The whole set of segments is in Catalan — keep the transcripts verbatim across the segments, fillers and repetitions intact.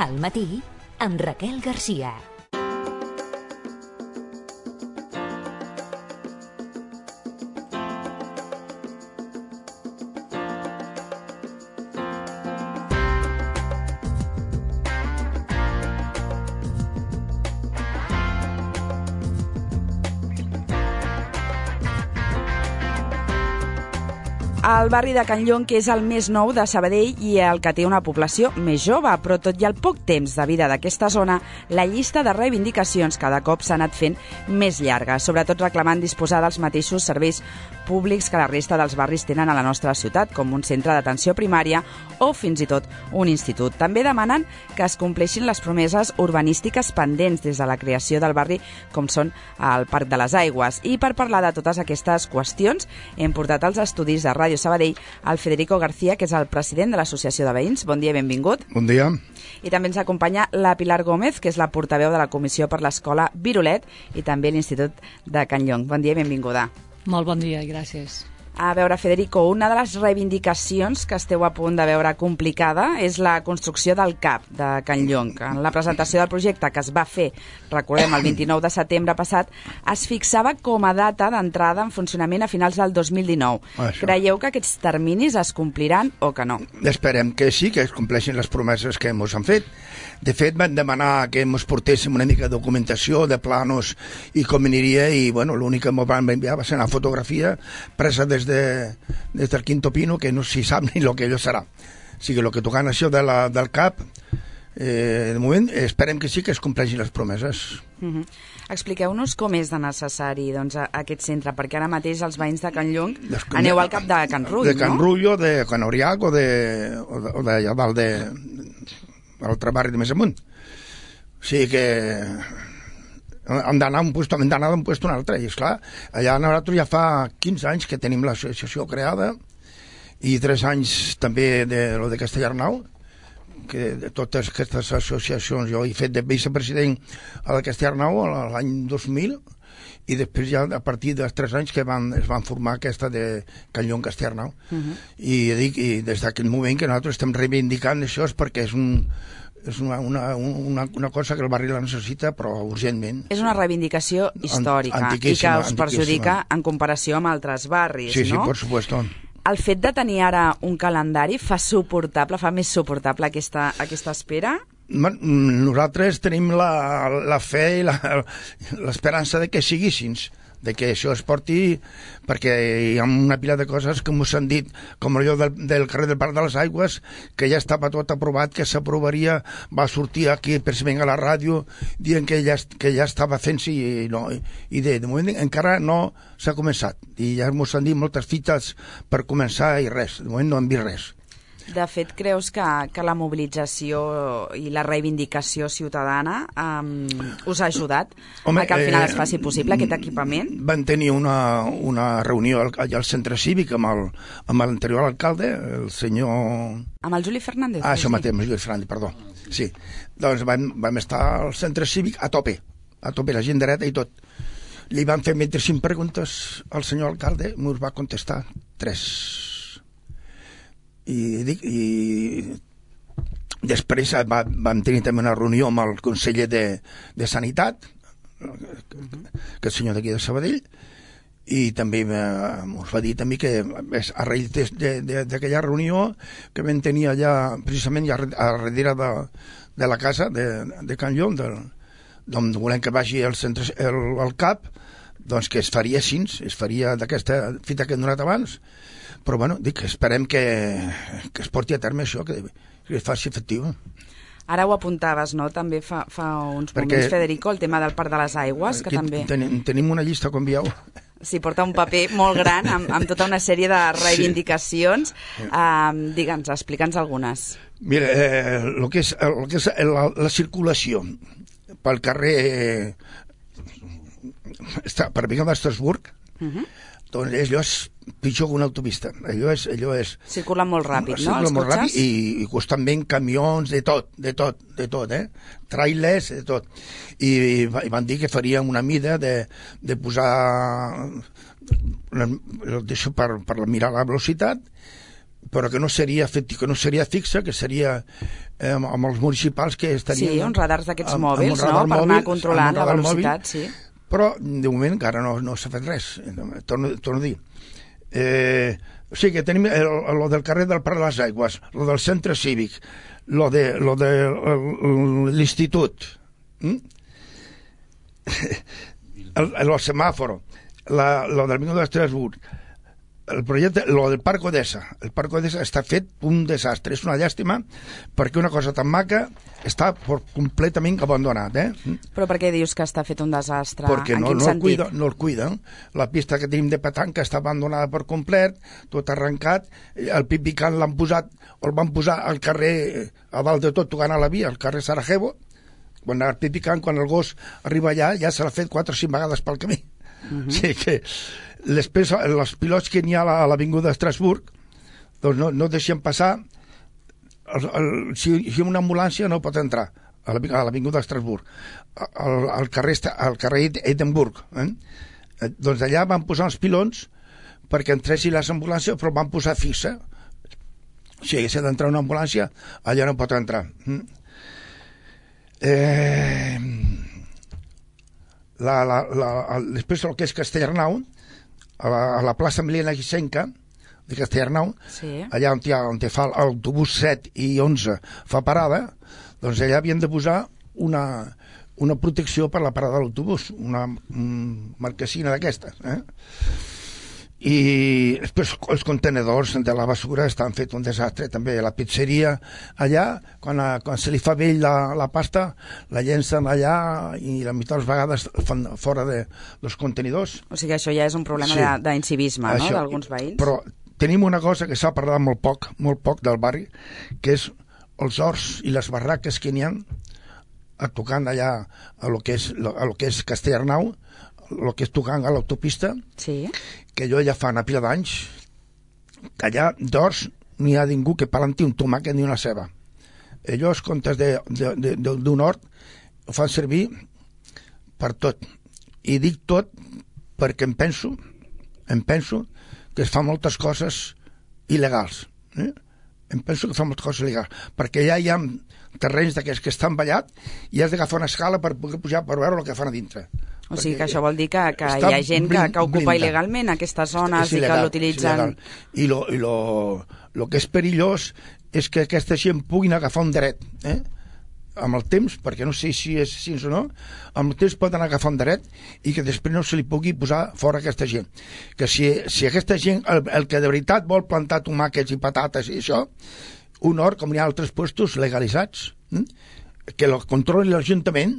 Al matí, amb Raquel Garcia. El barri de Can Llong, que és el més nou de Sabadell i el que té una població més jove, però tot i el poc temps de vida d'aquesta zona, la llista de reivindicacions cada cop s'ha anat fent més llarga, sobretot reclamant disposar dels mateixos serveis públics que la resta dels barris tenen a la nostra ciutat, com un centre d'atenció primària o fins i tot un institut. També demanen que es compleixin les promeses urbanístiques pendents des de la creació del barri, com són el Parc de les Aigües. I per parlar de totes aquestes qüestions, hem portat als estudis de Ràdio Sabadell al Federico García, que és el president de l'Associació de Veïns. Bon dia i benvingut. Bon dia. I també ens acompanya la Pilar Gómez, que és la portaveu de la Comissió per l'Escola Virolet i també l'Institut de Can Llong. Bon dia i benvinguda. Molt bon dia i gràcies. A veure, Federico, una de les reivindicacions que esteu a punt de veure complicada és la construcció del C A P de Can Llong. En la presentació del projecte, que es va fer, recordem, el vint-i-nou de setembre passat, es fixava com a data d'entrada en funcionament a finals del dos mil dinou. Això. Creieu que aquests terminis es compliran o que no? Esperem que sí, que es compleixin les promeses que ens han fet. De fet, van demanar que ens portéssim una mica de documentació, de planos i com aniria, i bueno, l'únic que ens van enviar va ser una fotografia presa des de, des del Quinto Pino, que no s'hi sap ni el que allò serà. O sigui, el que tocant això de la, del C A P, eh, de moment esperem que sí que es compleixin les promeses. Uh-huh. Expliqueu-nos com és de necessari doncs, aquest centre, perquè ara mateix els veïns de Can Llong Des, aneu al cap de Can Rull, de Can no? Rull o de Can Oriac o de, o de, o de, o de, de l'altre barri de més amunt. O sigui que hem d'anar d'un puesto, hem d'anar d'un puesto a un altre, i esclar, allà nosaltres ja fa quinze anys que tenim l'associació creada i tres anys també de lo de Castellarnau, que de totes aquestes associacions jo he fet de vicepresident a la Castellarnau l'any dos mil, i després ja a partir dels tres anys que van, es van formar aquesta de Can Llong Castellarnau. Uh-huh. I, dic, i des d'aquest moment que nosaltres estem reivindicant això és perquè és un és una, una, una, una cosa que el barri la necessita, però urgentment. És una reivindicació històrica i que us perjudica en comparació amb altres barris, sí, no? Sí, per supuesto. El fet de tenir ara un calendari fa suportable, fa més suportable aquesta, aquesta espera? Nosaltres tenim la, la fe i l'esperança de que siguissin, de que això es porti, perquè hi ha una pila de coses que m'ho han dit, com allò del, del carrer del Parc de les Aigües, que ja estava tot aprovat, que s'aprovaria, va sortir aquí precisament a la ràdio dient que ja, que ja estava fent-se, i, no, i de, de moment encara no s'ha començat, i ja m'ho han dit moltes fites per començar i res, de moment no hem vist res. De fet, creus que, que la mobilització i la reivindicació ciutadana um, us ha ajudat Home, a que al final eh, es faci possible aquest equipament? Van tenir una, una reunió allà al centre cívic amb el, amb l'anterior alcalde, el senyor... Amb el Juli Fernández? Ah, això mateix, amb el Juli Fernández, perdó. Sí, doncs vam, vam estar al centre cívic a tope, a tope, la gent dreta i tot. Li van fer vint-i-cinc preguntes al senyor alcalde, i us va contestar tres. I, dic, i després va, vam tenir també una reunió amb el conseller de, de Sanitat, que és el senyor d'aquí de Sabadell, i també us va dir també que a raïl d'aquella reunió que vam tenir allà precisament ja a darrere de, de la casa de, de Can Llong, d'on volem que vagi el, centre, el, el C A P, doncs que es faria així, es faria d'aquesta fita que hem donat abans. Però bueno, dic, esperem que, que es porti a terme això, que, que es faci efectiu. Ara ho apuntaves, no?, també fa, fa uns Perquè, moments, Federico, el tema del Parc de les Aigües, que també... Tenim, tenim una llista, com veieu. Sí, porta un paper molt gran amb, amb tota una sèrie de reivindicacions. Sí. Um, Digue'ns, explica'ns algunes. Mira, eh, el que és, el que és la, la circulació pel carrer eh, per Vic d'Estrasburg, uh-huh. doncs allò és pitjor que una autopista. Allò és... Allò és circula molt ràpid, no? Circula molt ràpid i, i constantment camions, de tot, de tot, de tot, eh? Trailers, de tot. I, i van dir que farien una mida de, de posar... Deixo per, per mirar la velocitat, però que no seria fet, que no seria fixa, que seria eh, amb, amb els municipals que estarien... Sí, uns radars d'aquests mòbils, amb no?, per mòbil, anar controlant la velocitat, mòbil, sí. Però, de moment, encara no, no s'ha fet res. Torno, torno a dir. Eh, o sigui que tenim el, el del carrer del Prat de les Aigües, el del centre cívic, lo de, lo de l'institut, mm? el, el semàforo, la, lo del Vingut d'Estrasburg, el projecte, lo del Parc Odessa. El Parc Odessa està fet un desastre. És una llàstima perquè una cosa tan maca està por completament abandonat. Eh? Però per què dius que està fet un desastre? Perquè en no, quin no, el sentit? cuida, no el cuiden. La pista que tenim de petanca està abandonada per complet, tot arrencat. El pipicant l'han posat, o el van posar al carrer, a dalt de tot, tocant a la via, al carrer Sarajevo. Quan el pipicant, quan el gos arriba allà, ja se l'ha fet quatre o cinc vegades pel camí. Uh-huh. O sigui que les, els pilots que n'hi ha a l'avinguda d'Estrasburg doncs no, no deixen passar el, el, si, si una ambulància no pot entrar a l'avinguda d'Estrasburg al, al carrer, al carrer Edimburg, eh? Eh, doncs allà van posar els pilons perquè entressin les ambulàncies, però van posar fixa, o sigui, si ha d'entrar una ambulància allà no pot entrar. eh La, la, la, després el que és Castellarnau, a la, a la plaça Milena Guisenca de Castellarnau, sí. Allà on, ha, on fa l'autobús set i onze fa parada, doncs allà havien de posar una, una protecció per la parada de l'autobús, una un marquesina d'aquestes, eh? I després els contenedors de la basura estan fet un desastre també. La pizzeria allà, quan, quan se li fa vell la, la pasta, la llencen allà i la meitat de les vegades fan fora de, dels contenidors. O sigui, això ja és un problema sí. d'incivisme, no?, d'alguns veïns. Però tenim una cosa que s'ha parlat molt poc, molt poc del barri, que és els horts i les barraques que n'hi ha a tocant allà a lo que és, a lo que és Castellarnau, el que és tocant a l'autopista, sí. Que jo ja fa una pila d'anys que allà d'horts n'hi ha ningú que planti un tomàquet ni una ceba. Ells, comptes d'un hort, ho fan servir per tot. I dic tot perquè em penso, em penso que es fan moltes coses il·legals. Eh? Em penso que fan moltes coses il·legals, perquè ja hi ha terrenys d'aquests que estan ballats i has d'agafar una escala per poder pujar per veure el que fan a dintre. O sigui que això vol dir que, que hi ha gent que, que ocupa blinda. il·legalment aquestes zones i que l'utilitzen... I lo, i lo, lo que és perillós és que aquesta gent puguin agafar un dret, eh? Amb el temps, perquè no sé si és així o no, amb el temps poden agafar un dret i que després no se li pugui posar fora aquesta gent. Que si, si aquesta gent, el, el que de veritat vol plantar tomàquets i patates i això, un hort, com hi ha altres puestos legalitzats, eh? Que el controli l'Ajuntament,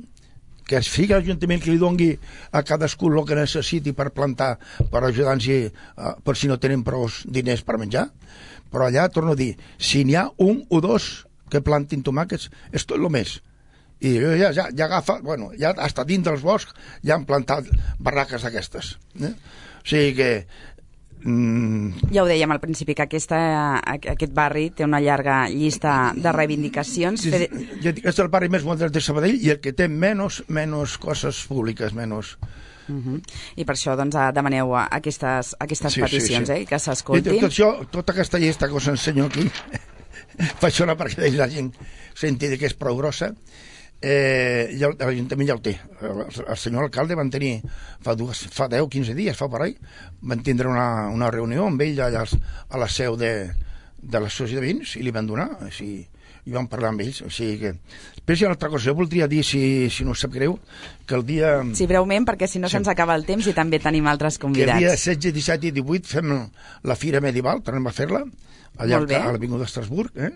que es fiqui l'Ajuntament que li dongui a cadascú el que necessiti per plantar, per ajudar-nos uh, per si no tenen prou diners per menjar. Però allà, torno a dir, si n'hi ha un o dos que plantin tomàquets, és tot el més. I ja, ja, ja agafa, bueno, ja hasta dins dels boscs ja han plantat barraques d'aquestes. Eh? O sigui que Mm. Ja ho dèiem al principi, que aquesta, aquest barri té una llarga llista de reivindicacions. És, és, és el barri més modern de Sabadell i el que té menys, menys coses públiques, menys... Uh-huh. I per això doncs, demaneu aquestes, aquestes sí, peticions, sí, sí. Eh, que s'escoltin. Tot això, tota aquesta llista que us ensenyo aquí faig una perquè la gent senti que és prou grossa. Eh, ja, l'Ajuntament ja el té. El, el senyor alcalde van tenir fa, dues, fa deu o quinze dies, fa per ahí, van tindre una, una reunió amb ell allà a la seu de, de l'associació de veïns i li van donar, o sigui, i vam parlar amb ells. O sigui que... Després hi ha una altra cosa, jo voldria dir, si, si no us sap greu, que el dia... Sí, breument, perquè si no sí. se'ns acaba el temps i també tenim altres convidats. Que el dia setze, disset i divuit fem la Fira Medieval, tornem a fer-la, allà a l'Avinguda d'Estrasburg, eh?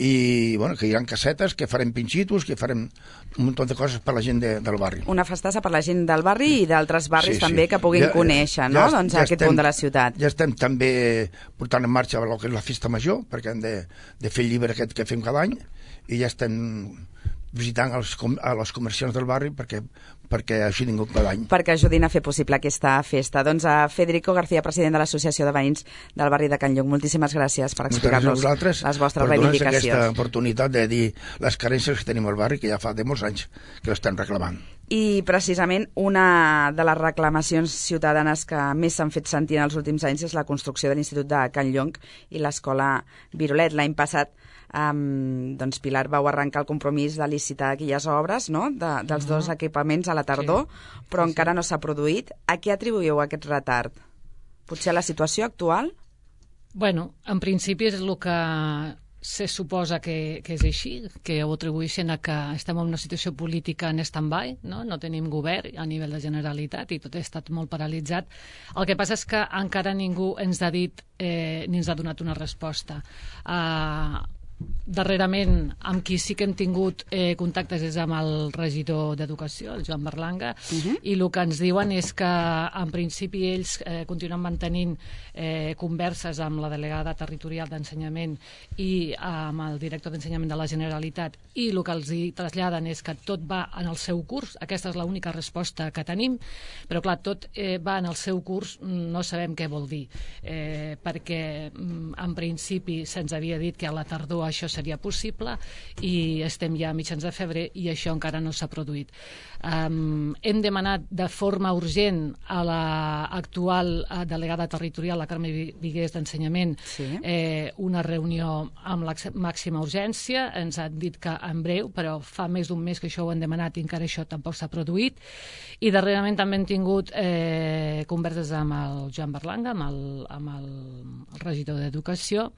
I bueno, que hi ha casetes, que farem pinxitos, que farem un munt de coses per la gent de, del barri. Una festassa per la gent del barri i d'altres barris sí, també sí. que puguin ja, conèixer, no? Ja, doncs ja aquest estem, punt de la ciutat. Ja estem també portant en marxa el que és la festa major, perquè hem de, de fer el llibre aquest que fem cada any, i ja estem visitant els, a les comerciants del barri perquè, perquè així ningú cada any. Perquè ajudin a fer possible aquesta festa. Doncs a Federico García, president de l'Associació de Veïns del barri de Can Llong, moltíssimes gràcies per explicar-nos les vostres reivindicacions. Per aquesta oportunitat de dir les carències que tenim al barri, que ja fa de molts anys que l'estem reclamant. I precisament una de les reclamacions ciutadanes que més s'han fet sentir en els últims anys és la construcció de l'Institut de Can Llong i l'Escola Virolet. L'any passat Um, doncs Pilar, vau arrencar el compromís de licitar aquelles obres, no?, de, dels dos uh-huh. equipaments a la tardor, sí. però sí, encara sí. no s'ha produït. A què atribuïu aquest retard? Potser a la situació actual? Bueno, en principi és el que se suposa que, que és així, que ho atribueixen a que estem en una situació política en stand-by, no? no tenim govern a nivell de Generalitat i tot ha estat molt paralitzat. El que passa és que encara ningú ens ha dit eh, ni ens ha donat una resposta. Uh, Darrerament, amb qui sí que hem tingut eh, contactes és amb el regidor d'Educació, el Joan Berlanga, uh-huh. i el que ens diuen és que en principi ells eh, continuen mantenint eh, converses amb la delegada territorial d'Ensenyament i amb el director d'Ensenyament de la Generalitat, i el que els hi traslladen és que tot va en el seu curs. Aquesta és l'única resposta que tenim, però clar, tot eh, va en el seu curs, no sabem què vol dir, eh, perquè en principi se'ns havia dit que a la tardor això seria possible i estem ja a mitjans de febrer i això encara no s'ha produït. Um, hem demanat de forma urgent a l'actual delegada territorial, la Carme Vigués d'Ensenyament, sí. eh, una reunió amb la màxima urgència. Ens han dit que en breu, però fa més d'un mes que això ho han demanat i encara això tampoc s'ha produït. I darrerament també hem tingut eh, converses amb el Joan Berlanga, amb el, amb el, el regidor d'Educació,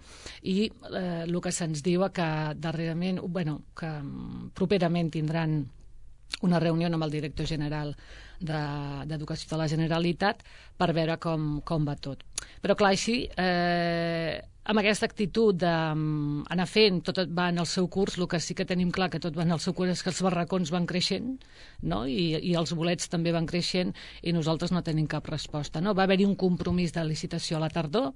i eh, el que se'ns diu que darrerament, bueno, que properament tindran una reunió amb el director general d'Educació de, de la Generalitat per veure com, com va tot. Però clar, així, eh, amb aquesta actitud d'anar fent, tot va en el seu curs, el que sí que tenim clar que tot va en el seu curs és que els barracons van creixent, no? I, i els bolets també van creixent i nosaltres no tenim cap resposta. No? Va haver-hi un compromís de licitació a la tardor,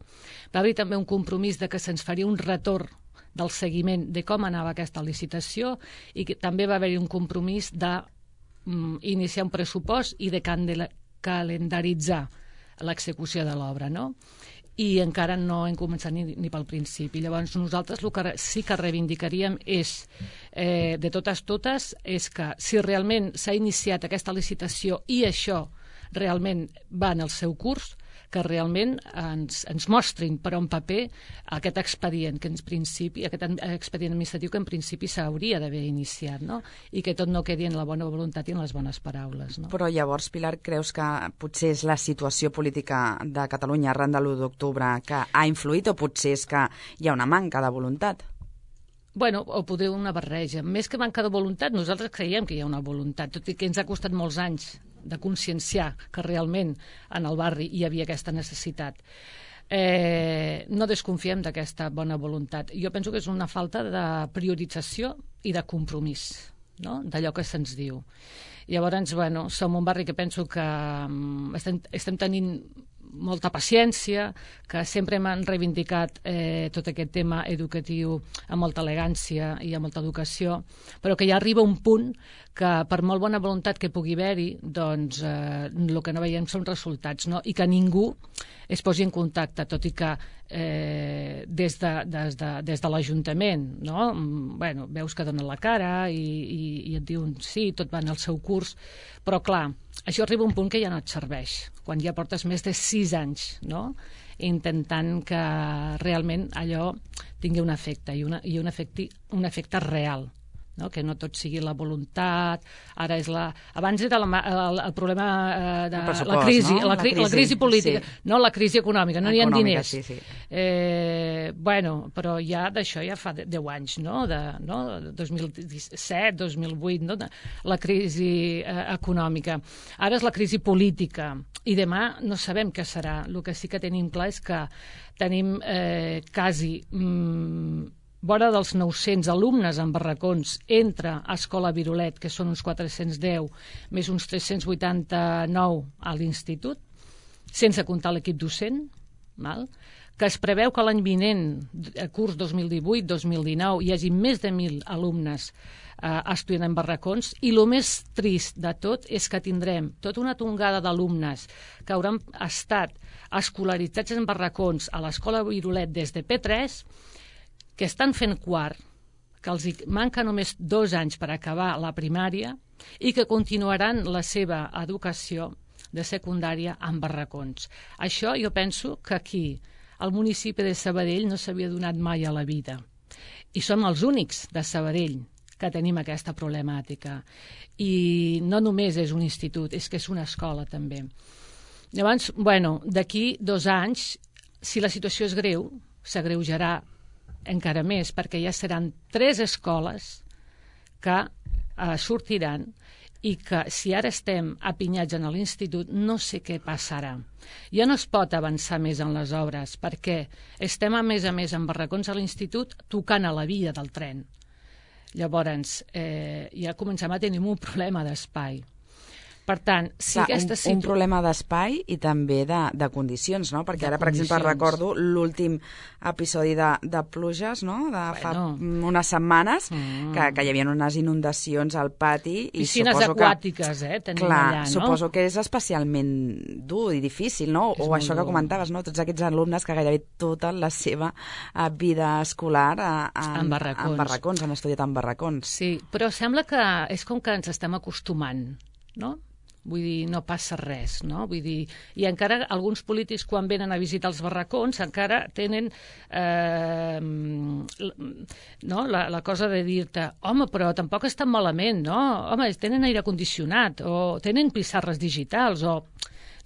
va haver-hi també un compromís de que se'ns faria un retorn del seguiment de com anava aquesta licitació i que també va haver-hi un compromís d'iniciar un pressupost i de calendaritzar l'execució de l'obra, no? I encara no hem començat ni, ni pel principi. Llavors nosaltres el que sí que reivindicaríem és, eh, de totes totes, és que si realment s'ha iniciat aquesta licitació i això realment va en el seu curs, que realment ens, ens mostrin per un paper aquest expedient, que en principi, aquest expedient administratiu que en principi s'hauria d'haver iniciat, no? I que tot no quedi en la bona voluntat i en les bones paraules. No? Però llavors, Pilar, creus que potser és la situació política de Catalunya arran de l'u d'octubre que ha influït o potser és que hi ha una manca de voluntat? Bueno, o poder una barreja. Més que manca de voluntat, nosaltres creiem que hi ha una voluntat, tot i que ens ha costat molts anys de conscienciar que realment en el barri hi havia aquesta necessitat. Eh, no desconfiem d'aquesta bona voluntat. Jo penso que és una falta de priorització i de compromís, no? D'allò que se'ns diu. Llavors, bueno, som un barri que penso que um, estem, estem tenint molta paciència, que sempre hem reivindicat eh, tot aquest tema educatiu amb molta elegància i amb molta educació, però que ja arriba un punt que per molt bona voluntat que pugui haver-hi, doncs eh, el que no veiem són resultats, no? I que ningú es posi en contacte, tot i que eh, des de, des de, des de l'Ajuntament, no? Bueno, veus que donen la cara i, i, i et diuen sí, tot va en el seu curs, però clar, això arriba a un punt que ja no et serveix, quan ja portes més de sis anys, no?, intentant que realment allò tingui un efecte, i, una, i un, efecte, un efecte real, no? Que no tot sigui la voluntat. Ara és la... Abans era la, el, el problema eh, de el la, crisi, no? la, cri, la, crisi, la crisi política, sí. No la crisi econòmica, no econòmica, hi ha diners. Sí, sí. Eh, bueno, però ja d'això ja fa deu anys, no? De, no? dos mil disset, dos mil vuit, no? De, la crisi eh, econòmica. Ara és la crisi política i demà no sabem què serà. El que sí que tenim clar és que tenim eh, quasi... Mm, vora dels nou-cents alumnes en barracons entre Escola Virolet, que són uns quatre-cents deu, més uns tres-cents vuitanta-nou a l'institut, sense comptar l'equip docent, val? Que es preveu que l'any vinent, curs dos mil divuit dos mil dinou, hi hagi més de mil alumnes eh, estudiant en barracons, i el més trist de tot és que tindrem tota una tongada d'alumnes que hauran estat escolaritzats en barracons a l'escola Virolet des de P tres, que estan fent quart, que els manca només dos anys per acabar la primària i que continuaran la seva educació de secundària en barracons. Això jo penso que aquí, al municipi de Sabadell, no s'havia donat mai a la vida. I som els únics de Sabadell que tenim aquesta problemàtica. I no només és un institut, és que és una escola també. Llavors, bueno, d'aquí dos anys, si la situació és greu, s'agreujarà encara més, perquè ja seran tres escoles que eh, sortiran, i que si ara estem apinyats en l'institut no sé què passarà. Ja no es pot avançar més en les obres perquè estem a més a més en barracons a l'institut tocant a la via del tren. Llavors eh, ja comencem a tenir un problema d'espai. Per tant, si Clar, aquesta un, situ... un problema d'espai i també de, de condicions, no? Perquè de ara, per condicions. exemple, recordo l'últim episodi de, de pluges, no? De fa Bueno. unes setmanes, Mm. que, que hi havia unes inundacions al pati. I Piscines suposo aquàtiques, que, eh, tenim clar, allà, no? suposo que és especialment dur i difícil, no? És O molt això que dur. comentaves, no? Tots aquests alumnes que gairebé tota la seva eh, vida escolar eh, en, En barracons. en barracons, han estudiat en barracons. Sí, però sembla que és com que ens estem acostumant, no? Vull dir, no passa res, no? Vull dir, i encara alguns polítics, quan venen a visitar els barracons, encara tenen eh, no? la, la cosa de dir-te, home, però tampoc és tan malament, no? Home, tenen aire condicionat, o tenen pissarres digitals, o...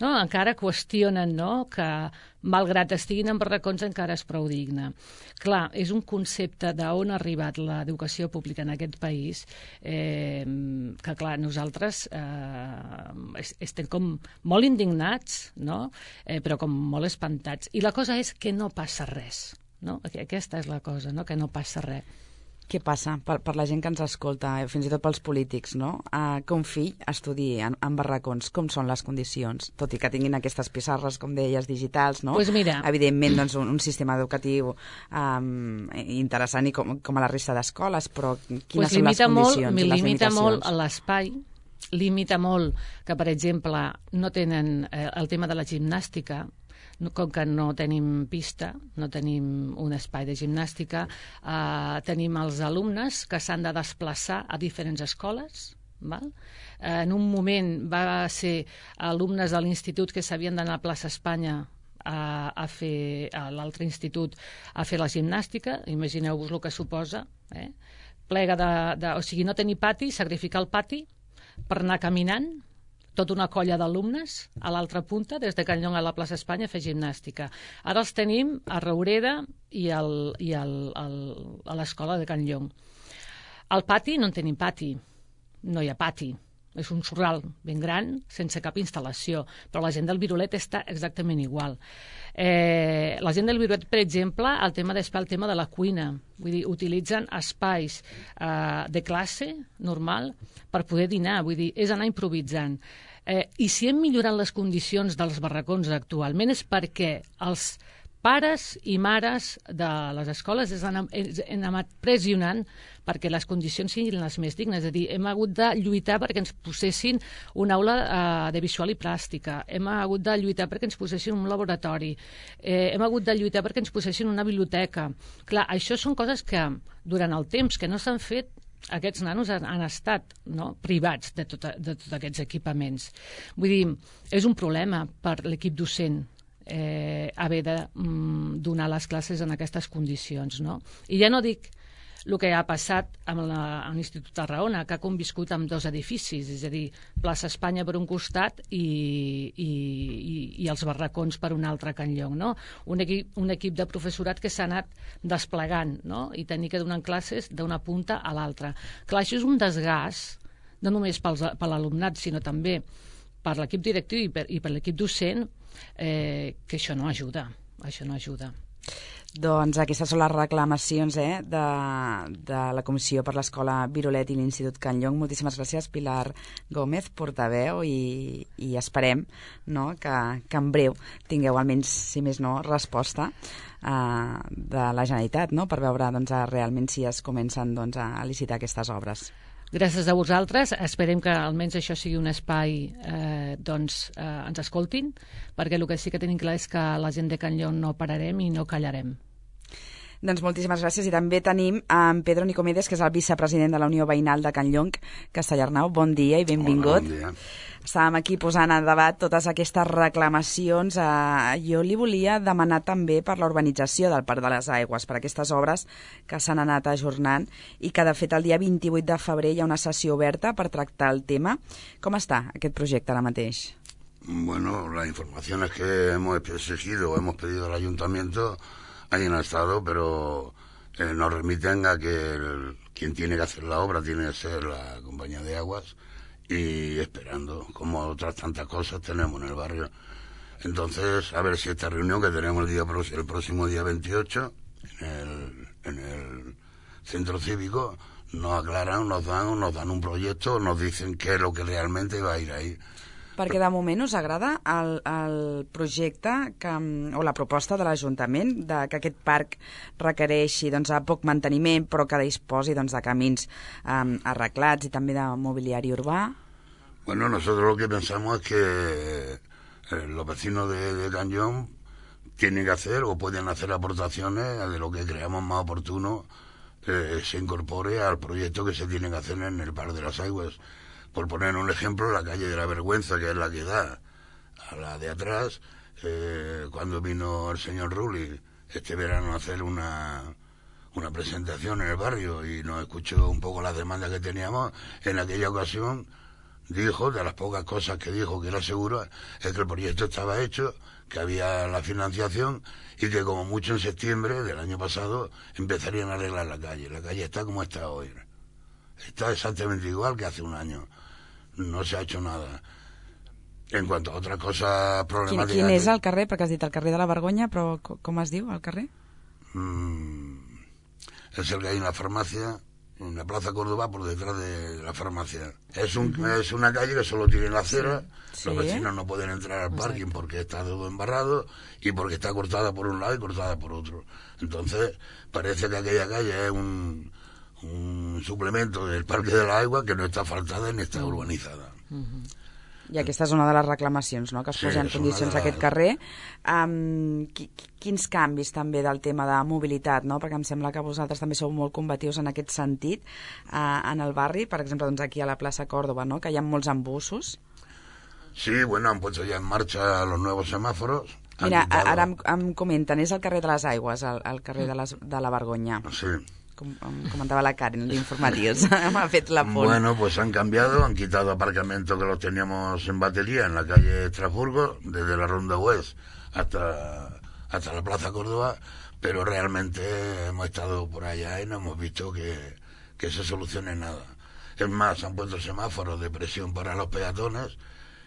No? Encara qüestionen, no? Que, malgrat estiguin en barracons, encara és prou digne. Clar, és un concepte d'on ha arribat l'educació pública en aquest país eh, que, clar, nosaltres eh, estem com molt indignats, no? eh, però com molt espantats. I la cosa és que no passa res. No? Aquesta és la cosa, no? Que no passa res. Què passa per, per la gent que ens escolta, fins i tot pels polítics, no? Uh, que un fill estudi en, en barracons, com són les condicions? Tot i que tinguin aquestes pissarres, com deies, digitals, no? Pues mira. Evidentment, doncs, un, un sistema educatiu um, interessant i com, com a la resta d'escoles, però quines pues són les condicions molt, i les limita limitacions? molt a l'espai, limita molt que, per exemple, no tenen eh, el tema de la gimnàstica, com que no tenim pista, no tenim un espai de gimnàstica, eh, tenim els alumnes que s'han de desplaçar a diferents escoles. Val? Eh, en un moment va ser alumnes de l'institut que s'havien d'anar a Plaça Espanya a, a fer a l'altre institut a fer la gimnàstica, imagineu-vos el que suposa, eh? Plega de, de, o sigui, no tenir pati, sacrificar el pati per anar caminant, tota una colla d'alumnes a l'altra punta, des de Can Llong a la plaça Espanya, a fer gimnàstica. Ara els tenim a Raureda i, al, i al, al, a l'escola de Can Llong. Al pati no en tenim pati, no hi ha pati. És un sorral ben gran, sense cap instal·lació, però la gent del Virolet està exactament igual. Eh, la gent del Virolet, per exemple, el tema d'espai, el tema de la cuina, vull dir, utilitzen espais eh, de classe normal per poder dinar, vull dir, és anar improvisant. Eh, I si hem millorat les condicions dels barracons actualment és perquè els pares i mares de les escoles han anat pressionant perquè les condicions siguin les més dignes. És a dir, hem hagut de lluitar perquè ens posessin una aula eh, de visual i plàstica, hem hagut de lluitar perquè ens posessin un laboratori, eh, hem hagut de lluitar perquè ens posessin una biblioteca. Clar, això són coses que durant el temps que no s'han fet, aquests nanos han, han estat, no?, privats de tots de tot aquests equipaments. Vull dir, és un problema per l'equip docent eh, haver de mm, donar les classes en aquestes condicions, no? I ja no dic el que ha passat amb l'Institut Tarragona, que ha conviscut amb dos edificis, és a dir, plaça Espanya per un costat i, i, i, i els barracons per un altre, Can Llong, no? Un equip, un equip de professorat que s'ha anat desplegant, no? I tenir que donar classes d'una punta a l'altra. Clar, això és un desgast, no només pels, per l'alumnat, sinó també per l'equip directiu i per, i per l'equip docent, eh, que això no ajuda, això no ajuda. Doncs aquestes són les reclamacions eh, de, de la Comissió per l'Escola Virolet i l'Institut Can Llong. Moltíssimes gràcies, Pilar Gómez, portaveu, i, i esperem no, que, que en breu tingueu almenys, si més no, resposta eh, de la Generalitat, no, per veure doncs, realment si es comencen doncs, a licitar aquestes obres. Gràcies a vosaltres. Esperem que almenys això sigui un espai eh, doncs eh, ens escoltin, perquè el que sí que tenim clar és que la gent de Can Llong no pararem i no callarem. Doncs moltíssimes gràcies. I també tenim en Pedro Nicomedes, que és el vicepresident de la Unió Veïnal de Can Llong, Castellarnau. Bon dia i benvingut. Hola, bon dia. Estàvem aquí posant en debat totes aquestes reclamacions. Eh, jo li volia demanar també per la urbanització del Parc de les Aigües, per aquestes obres que s'han anat ajornant i que, de fet, el dia vint-i-vuit de febrer hi ha una sessió oberta per tractar el tema. Com està aquest projecte ara mateix? Bueno, las informaciones que hemos exigido o hemos pedido al ayuntamiento ahí han estado, pero eh, nos remiten a que el, quien tiene que hacer la obra tiene que ser la compañía de aguas, y esperando, como otras tantas cosas tenemos en el barrio. Entonces, a ver si esta reunión que tenemos el día el próximo día veintiocho en el, en el centro cívico nos aclaran, nos dan, nos dan un proyecto, nos dicen qué es lo que realmente va a ir ahí. Perquè de moment us agrada el, el projecte que, o la proposta de l'Ajuntament de que aquest parc requereixi doncs, a poc manteniment, però que disposi doncs, de camins um, arreglats i també de mobiliari urbà? Bueno, nosotros lo que pensamos es que eh, los vecinos de, de Can Llong tienen que hacer o pueden hacer aportaciones de lo que creamos más oportuno eh, se incorpore al proyecto que se tiene que hacer en el Parc de las Aigües. Por poner un ejemplo, la calle de la Vergüenza, que es la que da a la de atrás, eh, cuando vino el señor Rulli este verano a hacer una, una presentación en el barrio y nos escuchó un poco las demandas que teníamos, en aquella ocasión dijo, de las pocas cosas que dijo que era seguro, es que el proyecto estaba hecho, que había la financiación y que como mucho en septiembre del año pasado empezarían a arreglar la calle. La calle está como está hoy. Está exactamente igual que hace un año. No se ha hecho nada. En cuanto a otras cosas problemáticas... Quin, quin és el carrer? Perquè has dit el carrer de la Vergonya, però com es diu el carrer? Mm, es el que hay en la farmacia, en la Plaza Córdoba, por detrás de la farmacia. Es, un, uh-huh. es una calle que solo tiene la acera, sí. Los vecinos no pueden entrar al parking Exacto. Porque está todo embarrado y porque está cortada por un lado y cortada por otro. Entonces, parece que aquella calle es un... un suplemento del Parque de la Aigua que no està faltada ni està urbanitzada. Uh-huh. I aquesta és una de les reclamacions, no?, que es sí, posen en condicions les... aquest carrer. Um, qui, quins canvis també del tema de mobilitat, no?, perquè em sembla que vosaltres també sou molt combatius en aquest sentit uh, en el barri, per exemple, doncs aquí a la plaça Córdoba, no?, que hi ha molts embussos. Sí, bueno, han puesto ya en marcha los nuevos semáforos. Mira, quitado... ara em, em comenten, és el carrer de les Aigües, el, el carrer de, les, de la Vergonya. Sí. Com, comentaba la Karen de informativos. Me ha fet la pol. Bueno, pues han cambiado, han quitado aparcamientos que los teníamos en batería en la calle Estrasburgo, desde la Ronda West hasta, hasta la Plaza Córdoba, pero realmente hemos estado por allá y no hemos visto que, que se solucione nada. Es más, han puesto semáforos de presión para los peatones,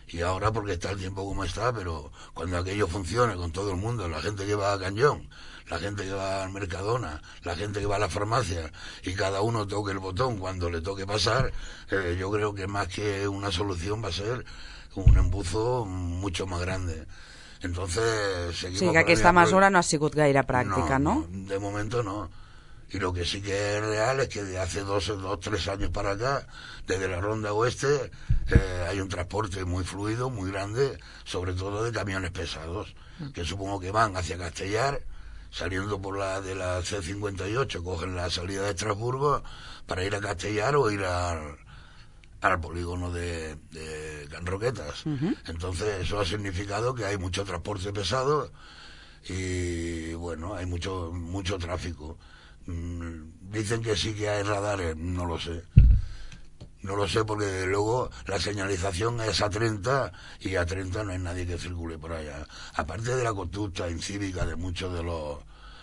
y ahora porque está el tiempo como está, pero cuando aquello funcione con todo el mundo, la gente que va a Can Llong, la gente que va al Mercadona, la gente que va a la farmacia, y cada uno toque el botón cuando le toque pasar, eh, yo creo que más que una solución va a ser un embuzo mucho más grande. Entonces, seguimos... Sí, que aquesta mesura no ha sigut gaire pràctica, no, no? no? De momento no. Y lo que sí que es real es que de hace dos o tres años para acá, desde la Ronda Oeste, eh, hay un transporte muy fluido, muy grande, sobre todo de camiones pesados, que supongo que van hacia Castellar, saliendo por la de la C cincuenta y ocho, cogen la salida de Estrasburgo para ir a Castellar o ir al, al polígono de, de Can Roquetas. Uh-huh. Entonces eso ha significado que hay mucho transporte pesado y bueno, hay mucho mucho tráfico. Mm, dicen que sí que hay radares, no lo sé. No lo sé porque desde luego la señalización es a treinta y a treinta no hay nadie que circule por allá. Aparte de la conducta incívica de muchos de los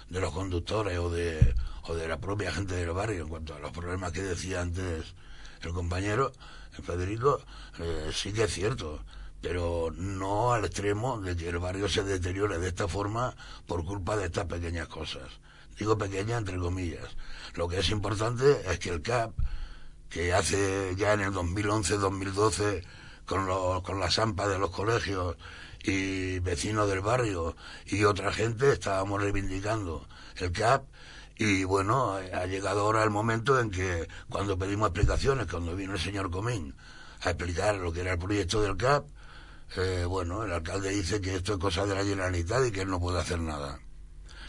de los conductores o de o de la propia gente del barrio en cuanto a los problemas que decía antes el compañero, el Federico, eh, sí que es cierto. pero no al extremo de que el barrio se deteriore de esta forma por culpa de estas pequeñas cosas. Digo pequeñas entre comillas. Lo que es importante es que el C A P, que hace ya en el dos mil once dos mil doce con, los, con las AMPA de los colegios y vecinos del barrio y otra gente estábamos reivindicando el C A P, y bueno, ha llegado ahora el momento en que cuando pedimos explicaciones, cuando vino el señor Comín a explicar lo que era el proyecto del C A P, eh, bueno, el alcalde dice que esto es cosa de la Generalitat y que él no puede hacer nada.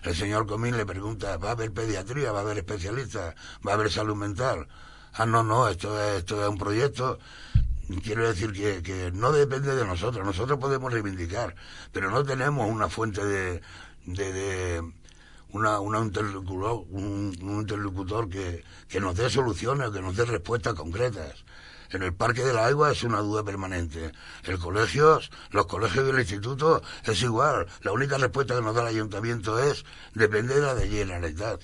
El señor Comín le pregunta, ¿va a haber pediatría? ¿Va a haber especialistas? ¿Va a haber salud mental? Ah, no, no, esto es, esto es un proyecto. Quiero decir que, que no depende de nosotros. Nosotros podemos reivindicar, pero no tenemos una fuente de... de, de una, una interlocutor, un, un interlocutor que, que nos dé soluciones, que nos dé respuestas concretas. En el Parque de la Agua es una duda permanente. El colegios, los colegios y el instituto es igual. La única respuesta que nos da el ayuntamiento es depende de la de Generalitat.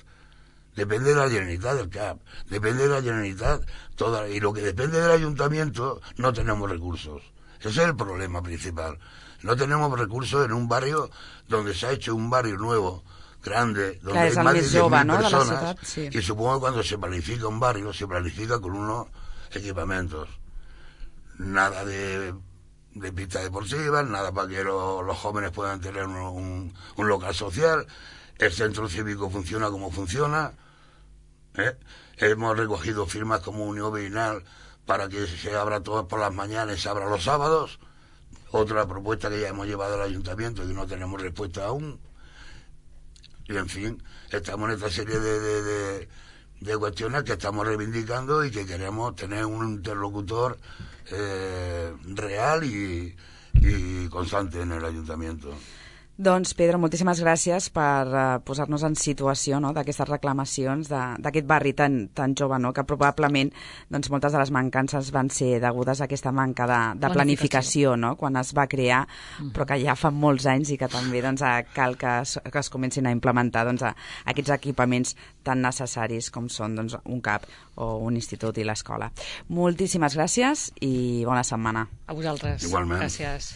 Depende de la Generalitat del C A P. Depende de la Generalitat toda. Y lo que depende del ayuntamiento no tenemos recursos. Ese es el problema principal. No tenemos recursos en un barrio donde se ha hecho un barrio nuevo, grande, donde Clar, hay más de diez mil no, personas. ciutat, sí. Y supongo que cuando se planifica un barrio, se planifica con unos equipamientos. Nada de, de pistas deportivas, nada para que lo, los jóvenes puedan tener un, un, un local social. El centro cívico funciona como funciona. ¿eh? Hemos recogido firmas como unión vecinal para que se abra todo por las mañanas y se abra los sábados. Otra propuesta que ya hemos llevado al ayuntamiento y no tenemos respuesta aún. Y en fin, estamos en esta serie de, de, de, de cuestiones que estamos reivindicando y que queremos tener un interlocutor eh, real y, y constante en el ayuntamiento. Doncs, Pedro, moltíssimes gràcies per uh, posar-nos en situació, no?, d'aquestes reclamacions d'aquest barri tan, tan jove, no?, que probablement doncs, moltes de les mancances van ser degudes a aquesta manca de, de planificació, no?, quan es va crear, mm. però que ja fa molts anys i que també doncs, cal que es, que es comencin a implementar doncs, a, aquests equipaments tan necessaris com són doncs, un C A P o un institut i l'escola. Moltíssimes gràcies i bona setmana. A vosaltres. Igualment. Gràcies.